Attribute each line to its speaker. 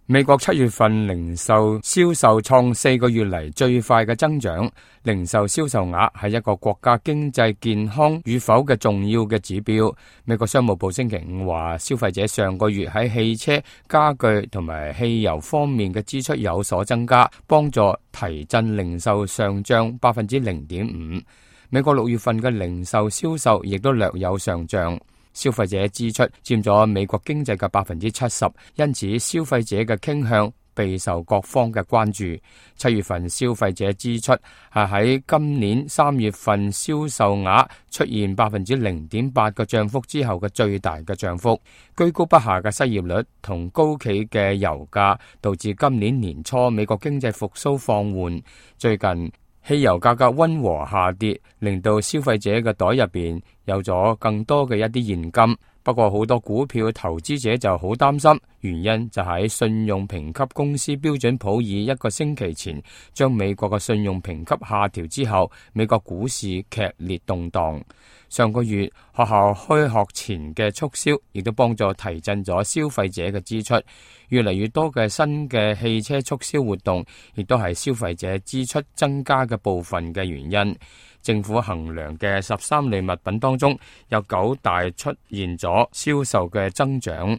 Speaker 1: 美國7月份零售銷售創4個月嚟最快嘅增長。零售銷售額係一個國家經濟健康與否嘅重要嘅指標。美國商務部星期五話，消費者上個月喺汽車、家具同埋汽油方面嘅支出有所增加，幫助提振零售上漲0.5%。美國6月份嘅零售銷售亦都略有上漲。消費者支出佔咗美國經濟嘅70%，因此消費者嘅傾向備受各方嘅關注。7月份消費者支出係喺今年3月份銷售額出現0.8%嘅漲幅之後嘅最大嘅漲幅。居高不下嘅失業率同高企嘅油價導致今年年初美國經濟復甦放緩。最近汽油價格溫和下跌，令到消費者嘅袋入邊有咗更多嘅一啲現金。不過好多股票投資者就好擔心，原因就喺信用評級公司標準普爾1個星期前將美國嘅信用評級下調之後，美國股市劇烈動盪。上個月學校開學前嘅促銷亦都幫助提振咗消費者嘅支出。越嚟越多嘅新嘅汽車促銷活動亦都係消費者支出增加嘅部分嘅原因。政府衡量嘅13類物品當中，有9大出現咗銷售嘅增長。